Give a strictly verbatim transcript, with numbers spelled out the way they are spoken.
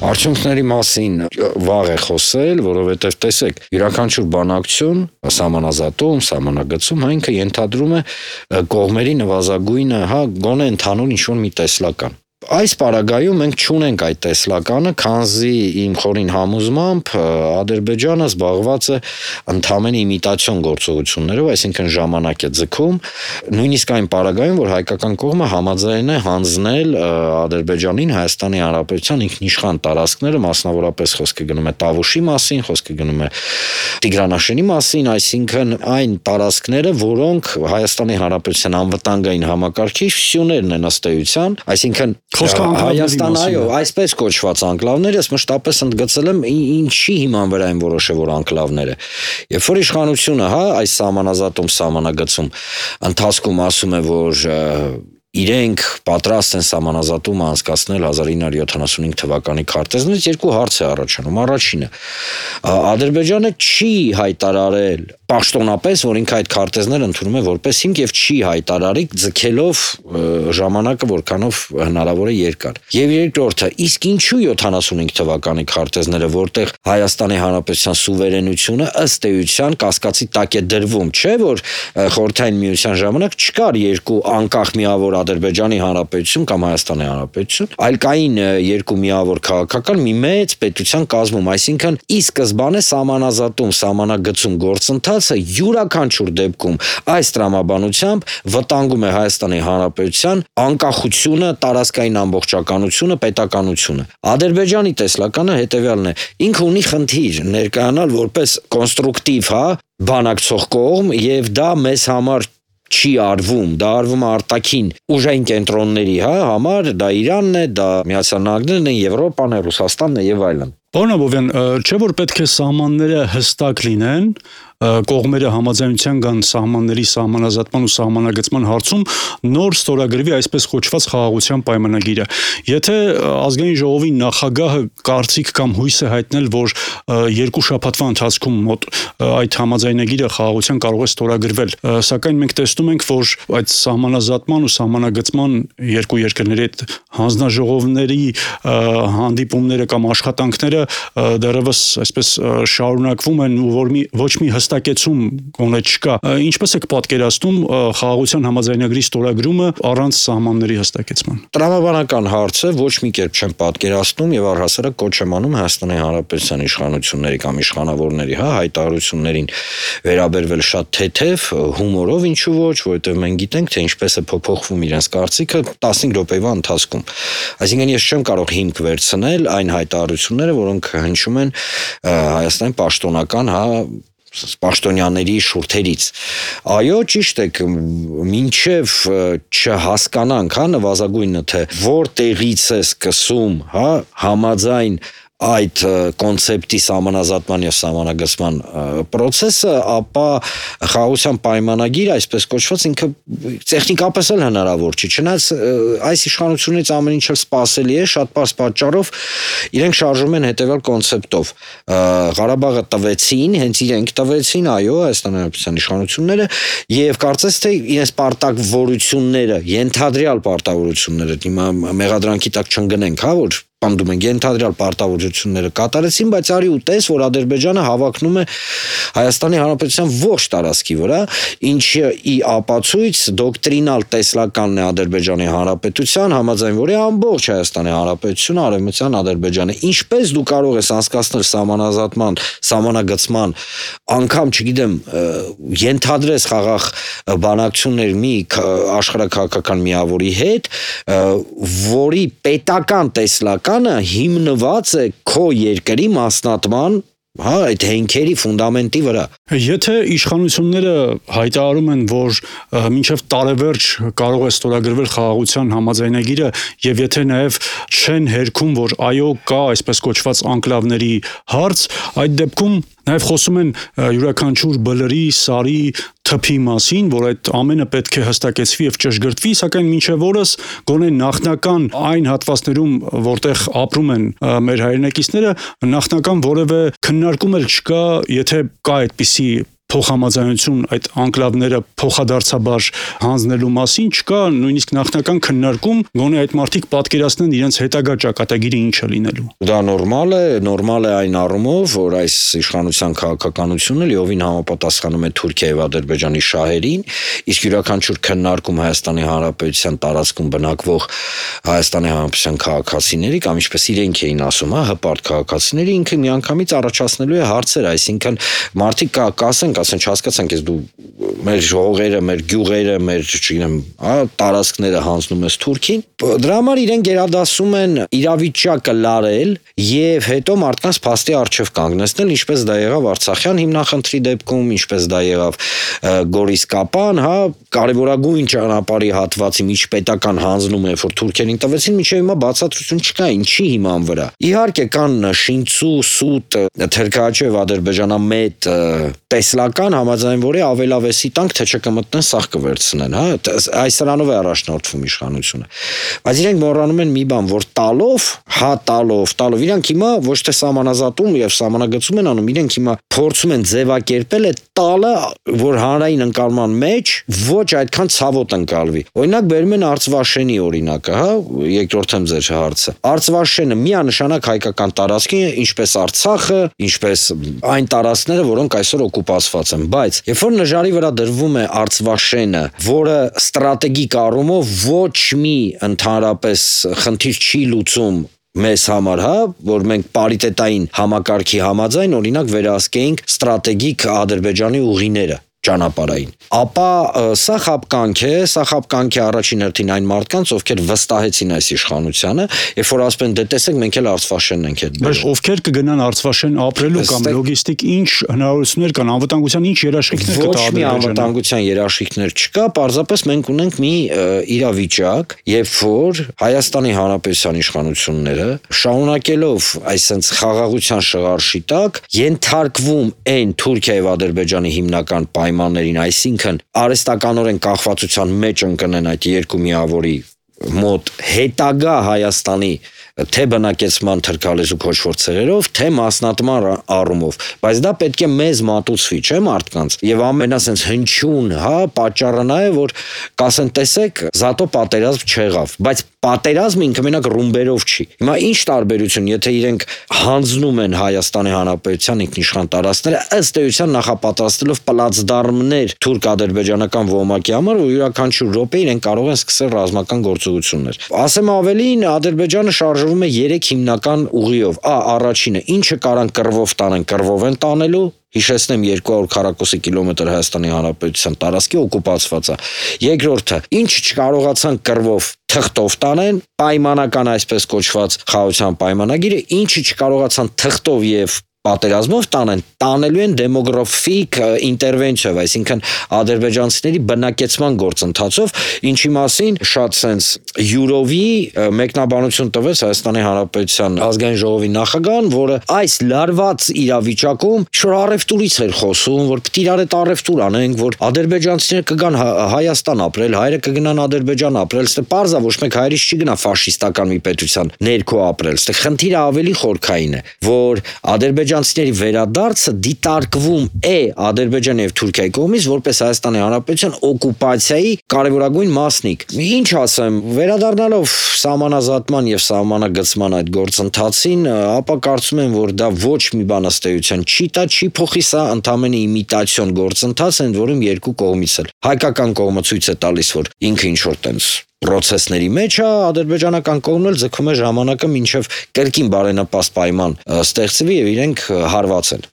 Արդյունքների մասին վաղ է խոսել, որովհետև տեսեք, յուրաքանչյուր բանակցություն, սահմանազատում, սահմանագծում, հա ինքը ենթադրում է կողմերի նվազագույնը, հա, գոնե ընդհանուր ինչ-որ մի տեսլական։ Այս պարագայում մենք չունենք այդ տեսլականը, քանզի իմ խորին համոզմամբ Ադրբեջանը զբաղված է ընդհանրեն իմիտացիոն գործողություններով, այսինքն ժամանակ է ձգում, նույնիսկ այն պարագայում, որ հայկական կողմը համաձայն է հանձնել Ադրբեջանին Հայաստանի Հանրապետության ինքնիշխան տարածքները, մասնավորապես խոսքը գնում է Տավուշի մասին, խոսքը գնում է Տիգրանաշենի մասին, այսինքն այն տարածքները, որոնք Հայաստանի Հանրապետության անվտանգային համակարգի սյուներն են ըստ էության, այսինքն Հայաստան, այո, այսպես կոչված անկլավներ, ես մշտապես ընդգծել եմ ինչի հիման վրա են որոշել, որ անկլավները։ Երբ որ իշխանությունը, հա, այս սահմանազատում, սահմանագծում ընթացքում ասում է, որ իրենք պատրաստ են սահմանազատումը անցկացնել հազար ինը հարյուր յոթանասունհինգ թվականի քարտեզներից, երկու հարց է առաջանում։ Առաջինը, Ադրբեջանը չի հայտարարել պաշտոնապես, որ ինքը այդ քարտեզները ընդունում է որպես հիմք եւ չի հայտարարի ձգելով ժամանակը որքանով հնարավոր է երկար։ Եվ երկրորդը, իսկ ինչու յոթանասունհինգ թվականի քարտեզները, որտեղ Հայաստանի Հանրապետության սուվերենությունը ըստ էության կասկածի տակ է դրվում, չէ՞ որ Խորհրդային Միության ժամանակ չկար երկու անկախ միավոր Ադրբեջանի Հանրապետություն կամ Հայաստանի Հանրապետություն, այլ կային երկու միավոր քաղաքական մի մեծ պետության կազմում, այսինքն ի սկզբանե սահմանազատում, սահմանագծում գործընթացը յուրաքանչյուր դեպքում այս տրամաբանությամբ վտանգում է Հայաստանի Հանրապետության անկախությունը, տարածքային ամբողջականությունը, պետականությունը։ Ադրբեջանի տեսլականը հետևյալն է. ինքը ունի խնդիր ներկայանալ որպես կոնստրուկտիվ, հա, բանակցող կողմ եւ դա մեզ համար չի արվում, դա արվում է արտաքին ուժային կենտրոնների, հա, համար, դա Իրանն է, դա Միացյալ Նահանգներն են, Եվրոպան է, Ռուսաստանն է եւ այլն։ Պարոն Աբովյան, չէ՞ որ պետք է սահմանները հստակ լինեն, կողմերը համաձայնության կան սահմանների սահմանազատման ու սահմանագծման հարցում նոր ստորագրվի այսպես կոչված խաղաղության պայմանագիրը։ Եթե ազգային ժողովի նախագահը կարծիք կամ հույս է հայտնել, որ երկու շաբաթվա ընթացքում մոտ այդ համաձայնագիրը խաղաղության կարող է ստորագրվել, սակայն մենք տեսնում ենք, որ այդ սահմանազատման ու սահմանագծման երկու երկրների այդ հանձնաժողովների հանդիպումները կամ աշխատանքները դեռևս այսպես շարունակվում են ու որ մի ոչ մի հստակեցում գոնե չկա։ Ինչպես եք պատկերացնում խաղաղության համաձայնագրի ստորագրումը առանց սահմանների հստակեցման։ Տրամաբանական հարցը ոչ մի կերպ չեմ պատկերացնում եւ առհասարակ կոչ եմ անում Հայաստանի Հանրապետության իշխանությունների կամ իշխանավորների, հա, հայտարարություններին վերաբերվել շատ թեթև, հումորով, ինչու ոչ, որովհետեւ մենք գիտենք, թե ինչպես է փոփոխվում իրենց կարծիքը տասնհինգ րոպեվա ընթացքում։ Այսինքն ես չեմ կարող հիմք վերցնել այն հայտարարությունները, որոնք հնչում են Հայաստանի պաշտոնական, հա, պաշտոնյաների շուրթերից։ Այո, ճիշտ եք, մինչև չհասկանանք, հա, նվազագույնը, թե որտեղից է սկսում, հա, համաձայն այդ կոնցեպտի սահմանազատման եւ սահմանագծման process-ը, ապա խաղաղության պայմանագիրը, այսպես կոչված, ինքը տեխնիկապես էլ հնարավոր չի։ Չնայած այս իշխանությունից ամեն ինչ էլ սպասելի է, շատ պարզ պատճառով իրենք շարժում են հետեւյալ կոնցեպտով. Ղարաբաղը տվեցին, հենց իրենք տվեցին, այո, Հայաստանի Հանրապետության իշխանությունները, եւ կարծես թե իրենց պարտավորությունները, ենթադրյալ պարտավորությունները, հիմա մեղադրանքի տակ չընկնենք, հա, որ պնդում են ենթադրյալ պարտավորությունները կատարեցին, բայց արի ու տես, որ Ադրբեջանը հավակնում է Հայաստանի Հանրապետության ողջ տարածքի վրա, ինչը ի ապացույց դոկտրինալ տեսլականն է Ադրբեջանի Հանրապետության, համաձայն որի ամբողջ Հայաստանի Հանրապետությունը արևմտյան Ադրբեջանը։ Ինչպես դու կարող ես անցկացնել սահմանազատման, սահմանագծման, անգամ, չգիտեմ, ենթադրես խաղաղ բանակցություններ մի աշխարհաքաղաքական միավորի հետ, որի պետական տեսլական հիմնված է քո երկրի մասնատման, հա, այդ հենքերի ֆունդամենտի վրա։ Եթե իշխանությունները հայտարարում են, որ մինչև տարեվերջ կարող է ստորագրվել խաղաղության համաձայնագիրը եւ եթե նաեւ չեն հերքում, որ այո կա այսպես կոչված անկլավների հարց, այդ դեպքում նաեւ խոսում են յուրաքանչյուր բլրի, սարի, թփի մասին, որ այդ ամենը պետք է հստակեցվի եւ ճշգրտվի, սակայն մինչեւ օրս գոնե նախնական այն հատվածներում, որտեղ ապրում են մեր հայրենակիցները, նախնական որևէ քննարկում էլ չկա, եթե կա այդպիսի փոխհամաձայնություն այդ անկլավները փոխադարձաբար հանձնելու մասին չկա նույնիսկ նախնական քննարկում, գոնե այդ մարդիկ պատկերացնեն իրենց հետագա ճակատագիրը ինչը լինելու։ Դա նորմալ է, նորմալ է այն առումով, որ այս իշխանության քաղաքականությունը լիովին համապատասխանում է Թուրքիայի եւ Ադրբեջանի շահերին, իսկ յուրաքանչյուր քննարկում Հայաստանի Հանրապետության տարածքում բնակվող Հայաստանի Հանրապետության քաղաքացիների կամ ինչպես իրենք էին ասում, հա, հպարտ քաղաքացիների ինքը միանգամից առաջացնելու է հարցեր, այսինքն մարդիկ կասեն, ասեն, չհասկացանք, ես դու մեր հողերը, մեր գյուղերը, մեր, չգիտեմ, հա, տարածքները հանձնում ես Թուրքին, դրա համար իրենք գերադասում են իրավիճակը լարել եւ հետո մարդկանց փաստի առջև կանգնեցնել, ինչպես դա եղավ Արցախյան հիմնախնդրի դեպքում, ինչպես դա եղավ Գորիսկապան, հա, կարևորագույն ճանապարհի հատվածի միջպետական հանձնումը, որ թուրքերին տվեցին, մինչև հիմա բացատրություն չկա, ինչի հիման վրա։ Իհարկե կան Շինցու, Սուտ, Թերքաչև, ադրբեջանամետ տեսլական համաձայն, որի ավելավեսի տանք թե չկմտնեն, սաղ կվերցնեն, հա, այս սրանով է առաջնորդվում իշխանությունը։ Բայց իրենք մոռանում են մի բան, որ տալով, հա տալով, տալով, իրենք հիմա ոչ թե սահմանազատում եւ սահմանագծում են անում, իրենք հիմա փորձում են ձևակերպել այդ տալը, որ հանրային ընկալման մեջ ոչ այդքան ցավոտ ընկալվի։ Օրինակ բերում են Արցվաշենի օրինակը, հա, երկրորդեմ ձեր հարցը։ Արցվաշենը միանշանակ հայկական տարածք է, ինչպես Արցախը, ինչպես այն տարածքները, որոնք այսօր օկուպացված են, բայց երբ որ նժարի վրա դրվում է Արցվաշենը, որը ստրատեգիկ առումով ոչ մի ընդհանրապես խնդիր չի լուծում մեզ համար, հա, որ մենք պարիտետային համակարգի համաձայն օրինակ վերահսկեինք ստրատեգիկ Ադրբեջանի ուղիները ճանապարհային, ապա սա խապկանք է, սա խապկանք է առաջին հերթին այն մարդկանց, ովքեր վստահեցին այս իշխանությանը, երբ որ ասում են դե տեսեք մենք էլ Արցվաշենն ենք հետ բերել։ Բայց ովքեր կգնան Արցվաշեն ապրելու կամ լոգիստիկ ինչ հնարավորություններ կան, անվտանգության ինչ երաշխիքներ կտա Ադրբեջանը։ Ոչ մի անվտանգության երաշխիքներ չկա, պարզապես մենք ունենք մի իրավիճակ, երբ որ Հայաստանի Հանրապետության իշխանությունները շարունակելով այսպես խաղաղության շղարշի տակ ենթարկվում են Թուրքիայի եւ Ադրբեջանի հիմնական պայմաններին, այսինքն արհեստականորեն կախվածության մեջ ընկնեն այդ երկու միավորի մոտ հետագա Հայաստանի թե բնակեցման թրքալեզու քոչվոր ցեղերով, թե մասնատման առումով, բայց դա պետք է մեզ մատուցվի, չէ՞ մարդկանց։ Եվ ամենասենց հնչյուն, հա, պատճառը նա է, որ կասեն, տեսեք, զատո պատերազմ չեղավ, բայց պատերազմը ինքը մենակ ռումբերով չի։ Հիմա ինչ տարբերություն, եթե իրենք հանձնում են Հայաստանի Հանրապետության ինքնիշխան տարածքները, ըստ էության նախապատրաստելով պլացդարմներ թուրք-ադրբեջանական ոմակի համար, որ յուրաքանչյուր րոպե իրենք կարող են սկսել ռազմական գործողություններ։ Ասեմ ավելին, Ադրբեջանը շարժվում է երեք հիմնական ուղիով։ Ա, առաջինը, ինչը կարան կռվով տանեն, կռվով են տանելու։ Հիշեցնեմ երկու հարյուր քառակուսի կիլոմետր Հայաստանի Հանրապետության տարածքի օկուպացված է։ Երկրորդը, ինչ չկարողացան կռվով թղթով տանեն, պայմանական այսպես կոչված խաղաղության պայմանագիրը, ինչը չկարողացան թղթով եւ պատերազմով տանեն, տանելու են դեմոգրաֆիկ ինտերվենցիով, այսինքն ադրբեջանցիների բնակեցման գործընթացով, ինչի մասին շատ սենց յուրովի մեկնաբանություն տվեց Հայաստանի Հանրապետության ազգային ժողովի նախագահան, որը այս լարված իրավիճակում շուտ առևտուրից էր խոսում, որ պետք է իրար հետ առևտուր անենք, որ ադրբեջանցիները կգան Հայաստան ապրել, հայերը կգնան Ադրբեջան ապրել, ստե պարզա ոչ մեկ հայրից չի գնա ֆաշիստական մի պետության ներքո ապրել, ստե խնդիրը ավելի խորքային է, որ ադրբեջանցիների վերադարձը դիտարկվում է Ադրբեջանի եւ Թուրքիայի կողմից որպես Հայաստանի Հանրապետության օկուպացիայի կարևորագույն մասնիկ։ Ինչ ասեմ, վերադառնալով սահմանազատման եւ սահմանագծման այդ գործընթացին, ապա կարծում եմ, որ դա ոչ մի բան ըստ էության չի տա, չի փոխի, սա ընդամենը իմիտացիոն գործընթաց է, որում երկու կողմից էլ հայկական կողմը ցույց է տալիս, որ ինքը ինչ որ տենց պրոցեսների մեջ է, ադրբեջանական կողմն էլ ձգում է ժամանակը մինչև կրկին բարենպաստ պայման ստեղծվի եւ իրենք հարված են։